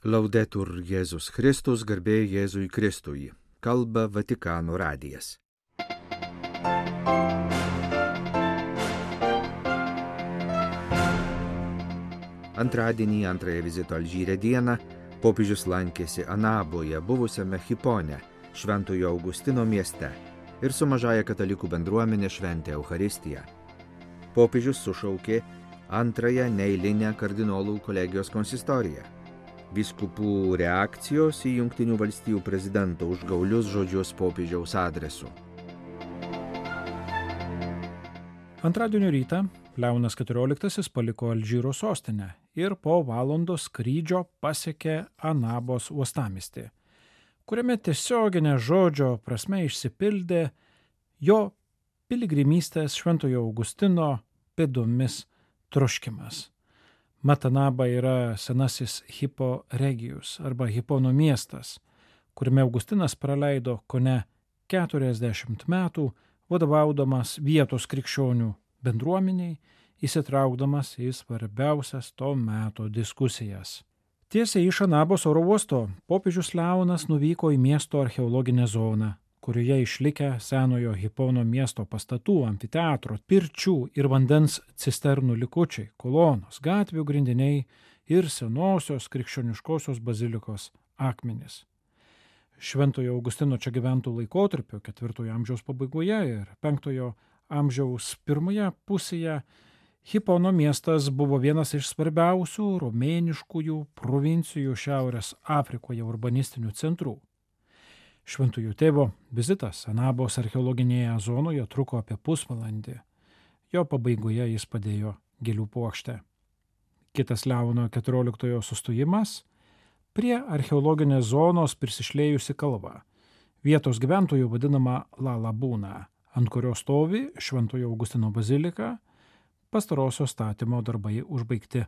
Laudetur Jėzus Kristus, garbė Jėzui Kristui. Kalba Vatikano radijas. Antradienį, antrąją vizito Alžyre dieną, popiežius lankėsi Anaboje, buvusiame Hipone, Šventojo Augustino mieste, ir su mažąja katalikų bendruomenė šventė Eucharistiją. Popiežius sušaukė antrąją neeilinę kardinolų kolegijos konsistoriją. Vyskupų reakcijos į Jungtinių valstijų prezidento užgaulius žodžius popiežiaus adresu. Antradienio rytą Leonas XIV paliko Alžyro sostinę ir po valandos skrydžio pasiekė Anabos uostamiestį, kuriame tiesioginė žodžio prasme išsipildė jo piligrimystės Šventojo Augustino pėdomis troškimas. Mat Anaba yra senasis Hippo Regius arba Hipono miestas, kuriame Augustinas praleido kone 40 metų vadovaudamas vietos krikščionių bendruomeniai, įsitraukdamas į svarbiausias to meto diskusijas. Tiesiai iš Anabos oro uosto popiežius Leonas nuvyko į miesto archeologinę zoną, kurioje išlikę senojo Hipono miesto pastatų, amfiteatro, pirčių ir vandens cisternų likučiai, kolonos, gatvių grindiniai ir senosios krikščioniškosios bazilikos akmenys. Šventojo Augustino čia gyventų laikotarpio 4 amžiaus pabaigoje ir 5 amžiaus pirmoje pusėje Hipono miestas buvo vienas iš svarbiausių romėniškųjų provincijų Šiaurės Afrikoje urbanistinių centrų. Šventojo tėvo vizitas Anabos archeologinėje zonoje truko apie pusvalandį. Jo pabaigoje jis padėjo gėlių puokštę. Kitas Leono XIV sustojimas prie archeologinės zonos prisišlėjusi kalva, vietos gyventojų vadinama La Labūna, ant kurios stovi Šventojo Augustino bazilika, pastarosios statymo darbai užbaigti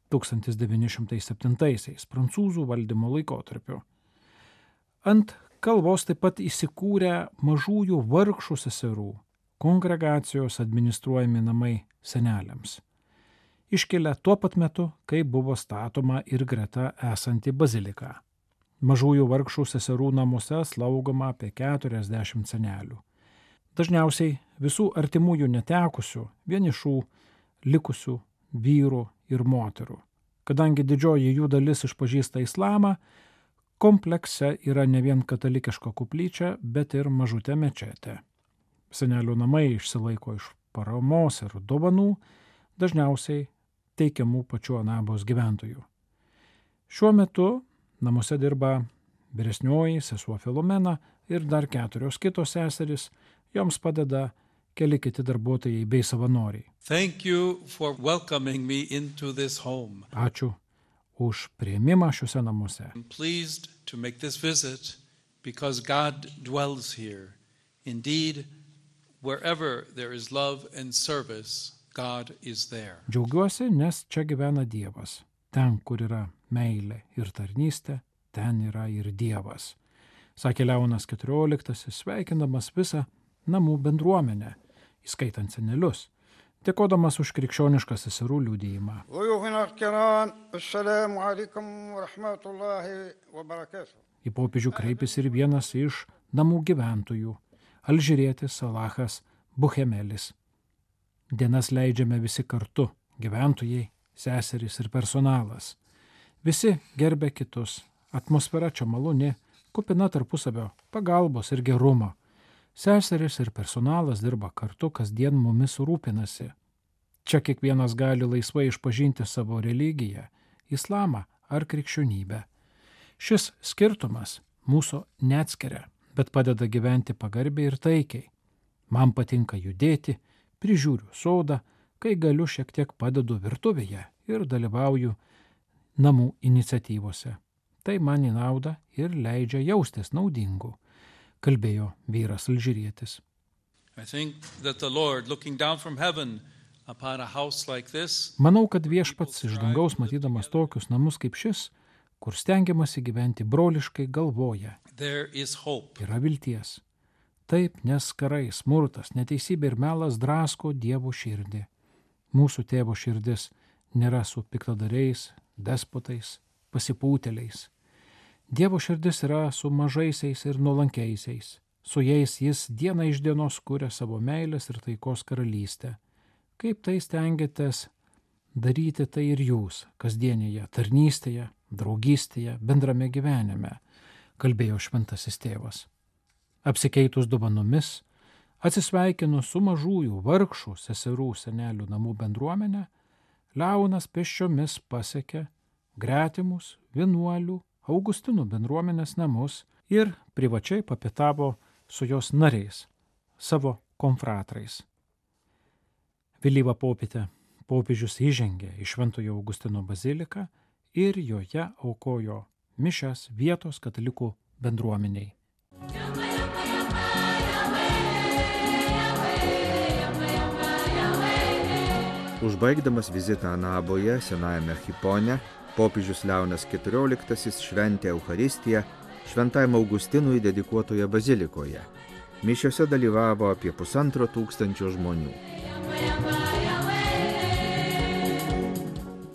1907 prancūzų valdymo laikotarpiu. Ant kalvos taip pat įsikūrę mažųjų vargšų seserų kongregacijos administruojami namai seneliams, iškilę tuo pat metu, kai buvo statoma ir greta esanti bazilika. Mažųjų vargšų seserų namuose slaugoma apie 40 senelių. Dažniausiai visų artimųjų netekusių, vienišų, likusių vyrų ir moterų. Kadangi didžioji jų dalis išpažįsta islamą, komplekse yra ne vien katalikiška koplyčia, bet ir mažutė mečetė. Senelių namai išsilaiko iš paramos ir dovanų, dažniausiai teikiamų pačių Anabos gyventojų. Šiuo metu namuose dirba vyresnioji sesuo Filomena ir dar 4 kitos seserys, joms padeda keli kiti darbuotojai bei savanoriai. Thank you for welcoming me into this home. Ačiū už priėmimą šiuose namuose. I'm pleased to make this visit because God dwells here. Indeed, wherever there is love and service, God is there. Džiaugiuosi, nes čia gyvena Dievas. Ten, kur yra meilė ir tarnystė, ten yra ir Dievas. Sakė Leonas XIV, sveikindamas visą namų bendruomenę, įskaitant senelius, dėkodamas už krikščionišką seserų liudijimą. Į popiežių kreipėsi ir vienas iš namų gyventojų, alžyrietis Salahas Buhemelis. Dienas leidžiame visi kartu, gyventojai, seserys ir personalas. Visi gerbia kitus, atmosfera čia maloni, kupina tarpusavio pagalbos ir gerumo. Seserys ir personalas dirba kartu, kasdien mumis rūpinasi. Čia kiekvienas gali laisvai išpažinti savo religiją, islamą ar krikščionybę. Šis skirtumas mūsų neatskiria, bet padeda gyventi pagarbiai ir taikiai. Man patinka judėti, prižiūriu sodą, kai galiu šiek tiek padedu virtuvėje ir dalyvauju namų iniciatyvose. Tai man į naudą ir leidžia jaustis naudingu, kalbėjo vyras alžyrietis. Manau, kad viešpats iš dangaus matydamas tokius namus kaip šis, kur stengiamasi gyventi broliškai, galvoja, yra vilties. Taip, nes karai, smurtas, neteisybė ir melas drasko Dievo širdį. Mūsų tėvo širdis nėra su piktadariais, despotais, pasipūtėliais. Dievo širdis yra su mažaisiais ir nuolankiaisiais. Su jais jis diena iš dienos kuria savo meilės ir taikos karalystę. Kaip tai stengiatės daryti tai ir jūs, kasdienėje tarnystėje, draugystėje, bendrame gyvenime, kalbėjo šventasis tėvas. Apsikeitus dovanomis, atsisveikinus su mažųjų vargšų seserų senelių namų bendruomenė, Leonas pėsčiomis pasiekė gretimus vienuolių Augustinų bendruomenės namus ir privačiai papietavo su jos nariais, savo konfratrais. Vėlyvą popietę popiežius įžengė į Šventojo Augustino baziliką ir joje aukojo mišias vietos katalikų bendruomeniai. Užbaigdamas vizitą Anaboje, senajame Hipone, popiežius Leonas XIV šventė Eucharistiją Šventajam Augustinui dedikuotoje bazilikoje. Mišiose dalyvavo apie 1500 žmonių.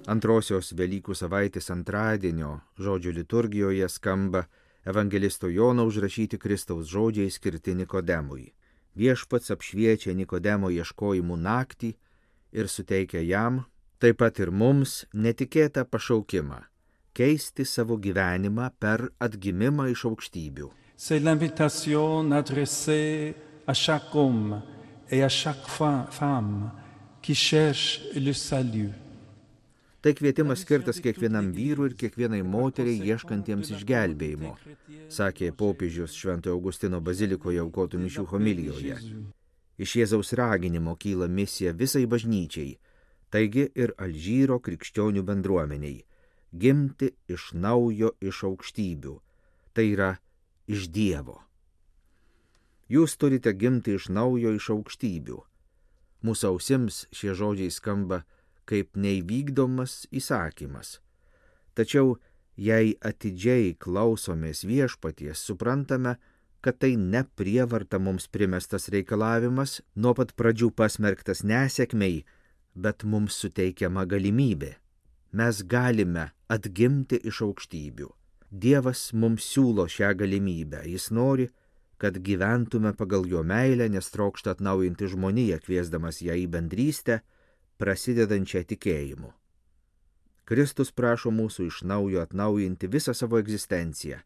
Antrosios Velykų savaitės antradienio žodžių liturgijoje skamba evangelisto Jono užrašyti Kristaus žodžiai skirti Nikodemui. Viešpats apšviečia Nikodemo ieškojimų naktį ir suteikia jam, taip pat ir mums, netikėtą pašaukimą – keisti savo gyvenimą per atgimimą iš aukštybių. C'est l'invitation adressée à chaque homme et à chaque femme qui cherche le salut. Tai kvietimas skirtas kiekvienam vyrui ir kiekvienai moteriai ieškantiems išgelbėjimo, sakė popiežius Šventojo Augustino bazilikoje aukotų mišių homilijoje. Iš Jėzaus raginimo kyla misija visai bažnyčiai, taigi ir Alžyro krikščionių bendruomeniai – gimti iš naujo iš aukštybių, tai yra iš Dievo. Jūs turite gimti iš naujo iš aukštybių. Mūsų ausims šie žodžiai skamba kaip neįvykdomas įsakymas. Tačiau, jei atidžiai klausomės Viešpaties, suprantame, kad tai ne prievarta mums primestas reikalavimas, nuo pat pradžių pasmerktas nesėkmei, bet mums suteikiama galimybė. Mes galime atgimti iš aukštybių. Dievas mums siūlo šią galimybę. Jis nori, kad gyventume pagal jo meilę, nes trokšta atnaujinti žmoniją, kviesdamas ją į bendrystę, prasidedančią tikėjimu. Kristus prašo mūsų iš naujo atnaujinti visą savo egzistenciją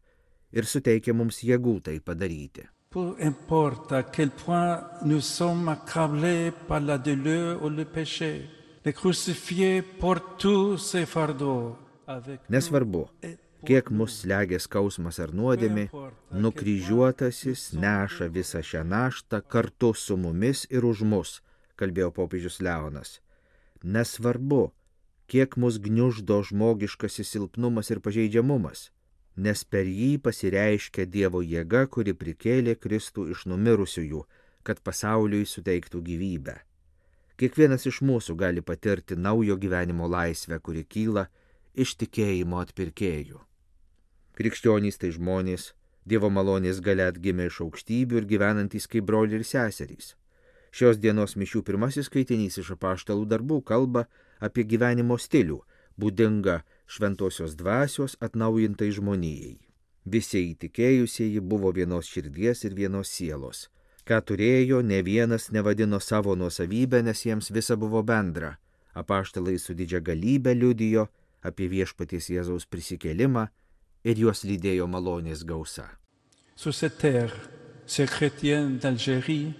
ir suteikia mums jėgų tai padaryti. Peu importe à quel point nous sommes accablés par la douleur ou le péché, le crucifié porte tous ses fardeaux avec nous. Nesvarbu, kiek mus slegia skausmas ar nuodėmė, nukryžiuotasis neša visą šią naštą kartu su mumis ir už mus, kalbėjo popiežius Leonas. Nesvarbu, kiek mus gniuždo žmogiškasis silpnumas ir pažeidžiamumas, nes per jį pasireiškia Dievo jėga, kuri prikėlė Kristų iš numirusiųjų, kad pasauliui suteiktų gyvybę. Kiekvienas iš mūsų gali patirti naujo gyvenimo laisvę, kuri kyla iš tikėjimo atpirkėjų. Krikščionys tai žmonės, Dievo malonės galia atgimę iš aukštybių ir gyvenantys kaip broliai ir seserys. Šios dienos mišių pirmasis skaitinys iš apaštalų darbų kalba apie gyvenimo stilių, būdinga šventosios dvasios atnaujintai žmonijai. Visi įtikėjusieji buvo vienos širdies ir vienos sielos. Ką turėjo, ne vienas nevadino savo nuosavybę, nes jiems visa buvo bendra. Apaštalai su didžia galybe liudijo apie Viešpaties Jėzaus prisikėlimą ir juos lydėjo malonės gausa. Sur cette terre, ces chrétiens d'Algérie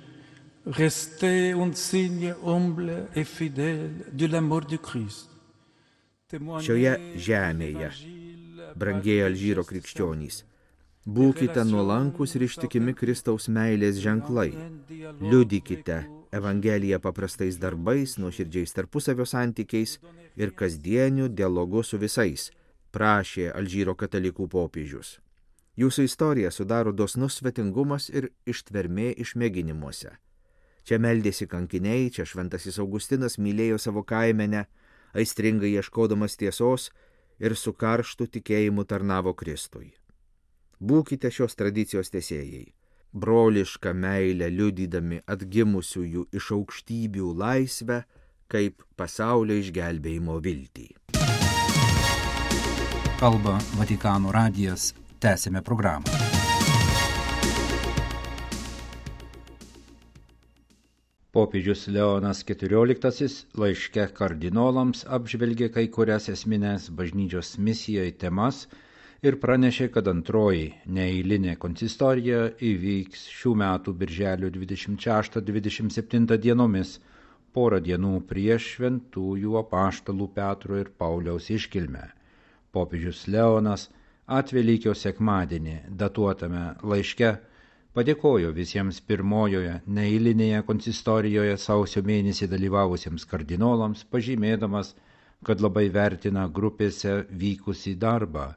restaient un signe humble et fidèle de l'amour du Christ. Šioje žemėje, brangieji Alžyro krikščionys, būkite nuolankus ir ištikimi Kristaus meilės ženklai. Liudykite Evangeliją paprastais darbais, nuoširdžiais tarpusavio santykiais ir kasdieniu dialogu su visais, prašė Alžyro katalikų popiežius. Jūsų istorija sudaro dosnus svetingumas ir ištvermė išmėginimuose. Čia meldėsi kankiniai, čia šventasis Augustinas mylėjo savo kaimenę, aistringai ieškodamas tiesos ir su karštu tikėjimu tarnavo Kristui. Būkite šios tradicijos tęsėjai, brolišką meilę liudydami atgimusiųjų iš aukštybių laisvę kaip pasaulio išgelbėjimo viltį. kalba Vatikano radijas. Tęsime programą. Popiežius Leonas XIV laiške kardinolams apžvelgė kai kurias esminės bažnyčios misijai temas ir pranešė, kad antroji neeilinė konsistorija įvyks šių metų birželio 26-27 dienomis, porą dienų prieš šventųjų apaštalų Petro ir Pauliaus iškilmę. Popiežius Leonas Atvelykio sekmadienį datuotame laiške padėkojo visiems pirmojoje neeilinėje konsistorijoje sausio mėnesį dalyvavusiems kardinolams, pažymėdamas, kad labai vertina grupėse vykusį darbą.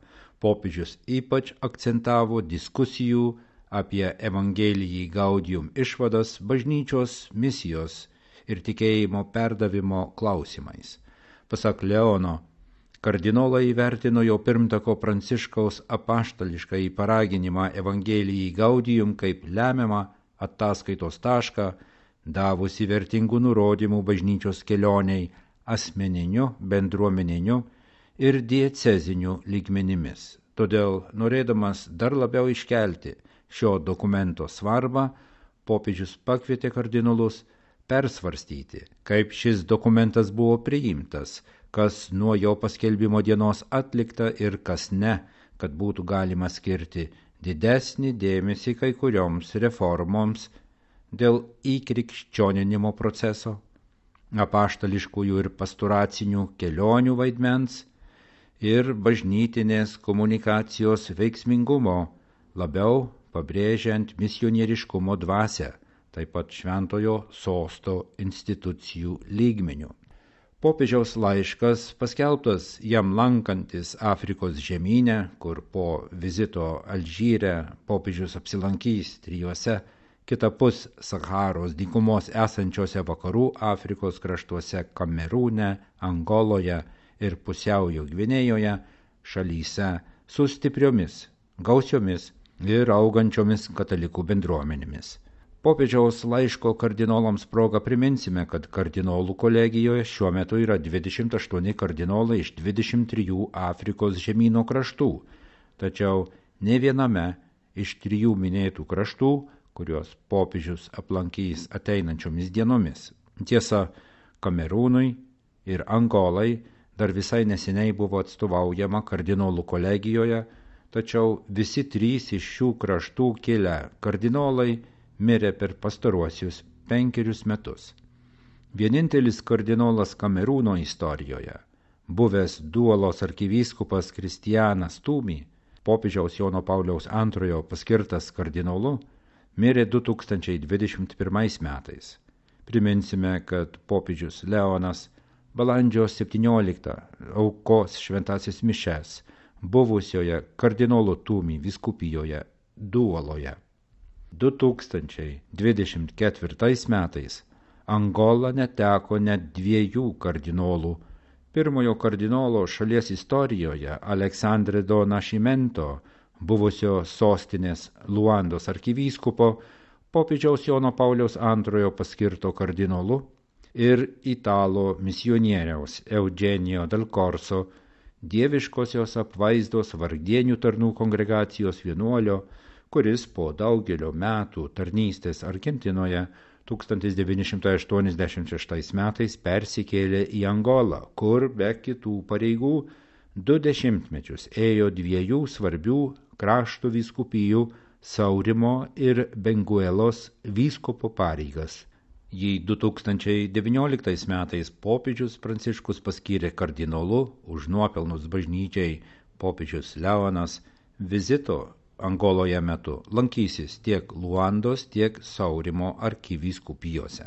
Popiežius ypač akcentavo diskusijų apie Evangelijai Gaudium išvadas bažnyčios misijos ir tikėjimo perdavimo klausimais. Pasak Leono, kardinolai įvertino jo pirmtako Pranciškaus apaštališkąjį paraginimą Evangelijai Gaudium kaip lemiamą ataskaitos tašką, davusi vertingų nurodymų bažnyčios kelioniai asmeniniu, bendruomeniniu ir dieceziniu lygmenimis. Todėl, norėdamas dar labiau iškelti šio dokumento svarbą, popiežius pakvietė kardinolus persvarstyti, kaip šis dokumentas buvo priimtas, kas nuo jo paskelbimo dienos atlikta ir kas ne, kad būtų galima skirti didesnį dėmesį kai kurioms reformoms dėl įkrikščioninimo proceso, apaštališkųjų ir pastoracinių kelionių vaidmens ir bažnytinės komunikacijos veiksmingumo, labiau pabrėžiant misionieriškumo dvasią, taip pat šventojo sosto institucijų lygmenių. Popiežiaus laiškas, paskelbtas jam lankantis Afrikos žemyne, kur po vizito Alžyre popiežius apsilankys 3 kitapus Saharos dykumos esančiose vakarų Afrikos kraštuose Kamerūne, Angoloje ir Pusiaujo Gvinėjoje, šalyse su stipriomis, gausiomis ir augančiomis katalikų bendruomenėmis. Popiežiaus laiško kardinolams proga priminsime, kad kardinolų kolegijoje šiuo metu yra 28 kardinolai iš 23 Afrikos žemyno kraštų, tačiau ne viename iš 3 minėtų kraštų, kuriuos popiežius aplankys ateinančiomis dienomis. Tiesa, Kamerūnui ir Angolai dar visai neseniai buvo atstovaujama kardinolų kolegijoje, tačiau visi 3 iš šių kraštų kilę kardinolai mirė per pastaruosius 5 metus. Vienintelis kardinolas Kamerūno istorijoje, buvęs Duolos arkivyskupas Kristianas Tumi, popiežiaus Jono Pauliaus II paskirtas kardinolu, mirė 2021 metais. Priminsime, kad popiežius Leonas balandžio 17 aukos šventąsias mišes buvusioje kardinolo Tumi vyskupijoje Duoloje. 2024 metais Angola neteko net 2 kardinolų. Pirmojo kardinolo šalies istorijoje Aleksandre do Nascimento, buvusio sostinės Luandos arkivyskupo, popiežiaus Jono Pauliaus II paskirto kardinolu, ir italo misionieriaus Eugenio del Corso, dieviškosios apvaizdos vargdienių tarnų kongregacijos vienuolio, kuris po daugelio metų tarnystės Argentinoje 1986 metais persikėlė į Angolą, kur be kitų pareigų 2 dešimtmečius ėjo 2 svarbių krašto vyskupijų Saurimo ir Benguelos vyskupo pareigas. Jį 2019 metais popiežius Pranciškus paskyrė kardinolu už nuopelnus bažnyčiai, popiežius Leonas vizito Angoloje metu lankysis tiek Luandos, tiek Saurimo arkivyskupijose.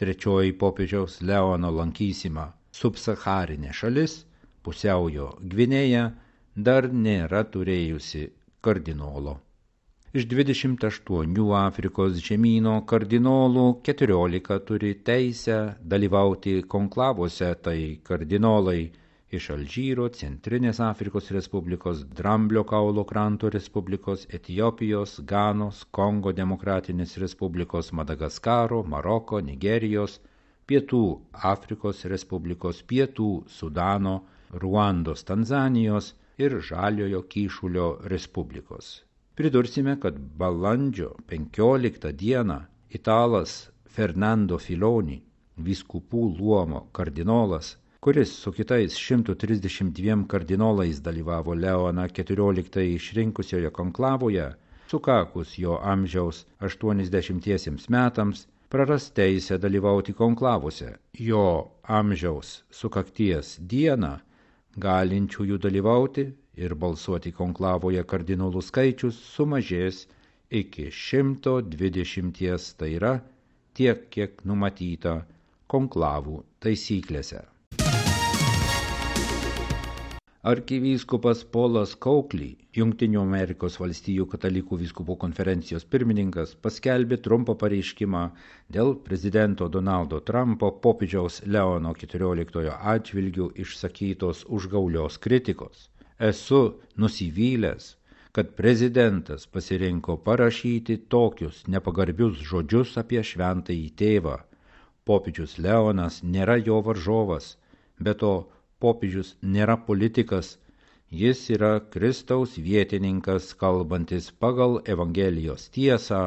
3 popiežiaus Leono lankysima subsaharinė šalis, Pusiaujo Gvinėja, dar nėra turėjusi kardinolo. Iš 28 Afrikos žemyno kardinolų 14 turi teisę dalyvauti konklavose, tai kardinolai iš Alžyro, Centrinės Afrikos Respublikos, Dramblio kaulo kranto Respublikos, Etiopijos, Ganos, Kongo Demokratinės Respublikos, Madagaskaro, Maroko, Nigerijos, Pietų Afrikos Respublikos, Pietų Sudano, Ruandos, Tanzanijos ir Žaliojo Kyšulio Respublikos. Pridursime, kad balandžio 15 dieną italas Fernando Filoni, vyskupų luomo kardinolas, kuris su kitais 132 kardinolais dalyvavo Leoną XIV išrinkusioje konklavoje, sukakus jo amžiaus 80 metams, praras teisę dalyvauti konklavose. Jo amžiaus sukakties dieną galinčiųjų dalyvauti ir balsuoti konklavoje kardinolų skaičius sumažės iki 120, tai yra tiek, kiek numatyta konklavų taisyklėse. Arkivyskupas Polas Coakley, Jungtinių Amerikos valstijų katalikų vyskupų konferencijos pirmininkas, paskelbė trumpą pareiškimą dėl prezidento Donaldo Trumpo popiežiaus Leono XIV atžvilgių išsakytos užgaulios kritikos. Esu nusivylęs, kad prezidentas pasirinko parašyti tokius nepagarbius žodžius apie šventąjį tėvą. Popiežius Leonas nėra jo varžovas, be to popiežius nėra politikas, jis yra Kristaus vietininkas, kalbantis pagal Evangelijos tiesą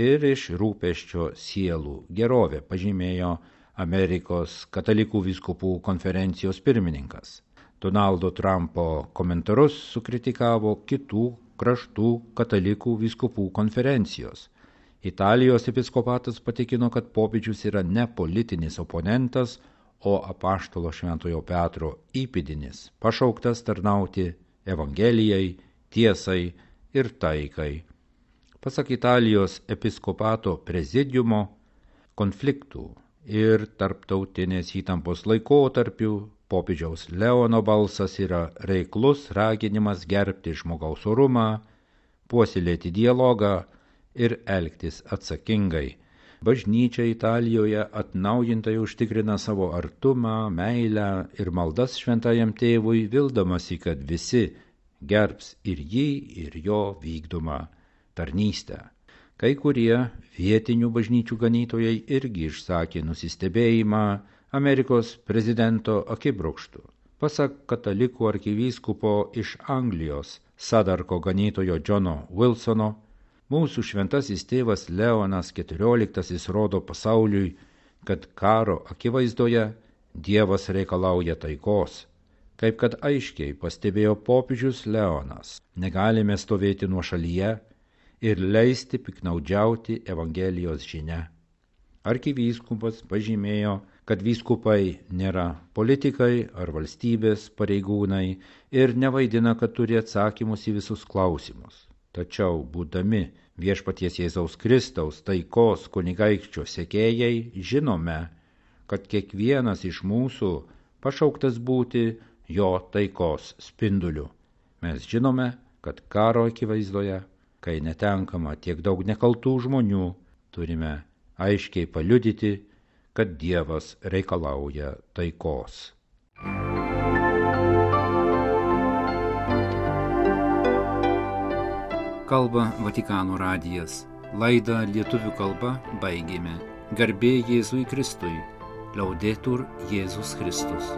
ir iš rūpesčio sielų gerovę, pažymėjo Amerikos katalikų vyskupų konferencijos pirmininkas. Donaldo Trumpo komentarus sukritikavo kitų kraštų katalikų vyskupų konferencijos. Italijos episkopatas patikino, kad popiežius yra ne politinis oponentas, o apaštalo Šventojo Petro įpėdinis, pašauktas tarnauti Evangelijai, tiesai ir taikai. Pasak Italijos episkopato prezidiumo, konfliktų ir tarptautinės įtampos laikotarpių popiežiaus Leono balsas yra reiklus raginimas gerbti žmogaus orumą, puoselėti dialogą ir elgtis atsakingai. Bažnyčia Italijoje atnaujintai užtikrina savo artumą, meilę ir maldas šventajam tėvui, vildamasi, kad visi gerbs ir jį, ir jo vykdomą tarnystę. Kai kurie vietinių bažnyčių ganytojai irgi išsakė nusistebėjimą Amerikos prezidento akibrokštu. Pasak katalikų arkivyskupo iš Anglijos, Sadarko ganytojo Džono Wilsono, mūsų šventasis tėvas Leonas XIV rodo pasauliui, kad karo akivaizdoje Dievas reikalauja taikos. Kaip kad aiškiai pastebėjo popiežius Leonas, negalime stovėti nuošalyje ir leisti piknaudžiauti Evangelijos žinia. Arkivyskupas pažymėjo, kad vyskupai nėra politikai ar valstybės pareigūnai ir nevaidina, kad turi atsakymus į visus klausimus. Tačiau, būdami Viešpaties Jėzaus Kristaus taikos kunigaikščio sekėjai, žinome, kad kiekvienas iš mūsų pašauktas būti jo taikos spinduliu. Mes žinome, kad karo akivaizdoje, kai netenkama tiek daug nekaltų žmonių, turime aiškiai paliudyti, kad Dievas reikalauja taikos. Kalba Vatikano radijas. Laidą lietuvių kalba baigėme. Garbė Jėzui Kristui. Laudetur Jėzus Kristus.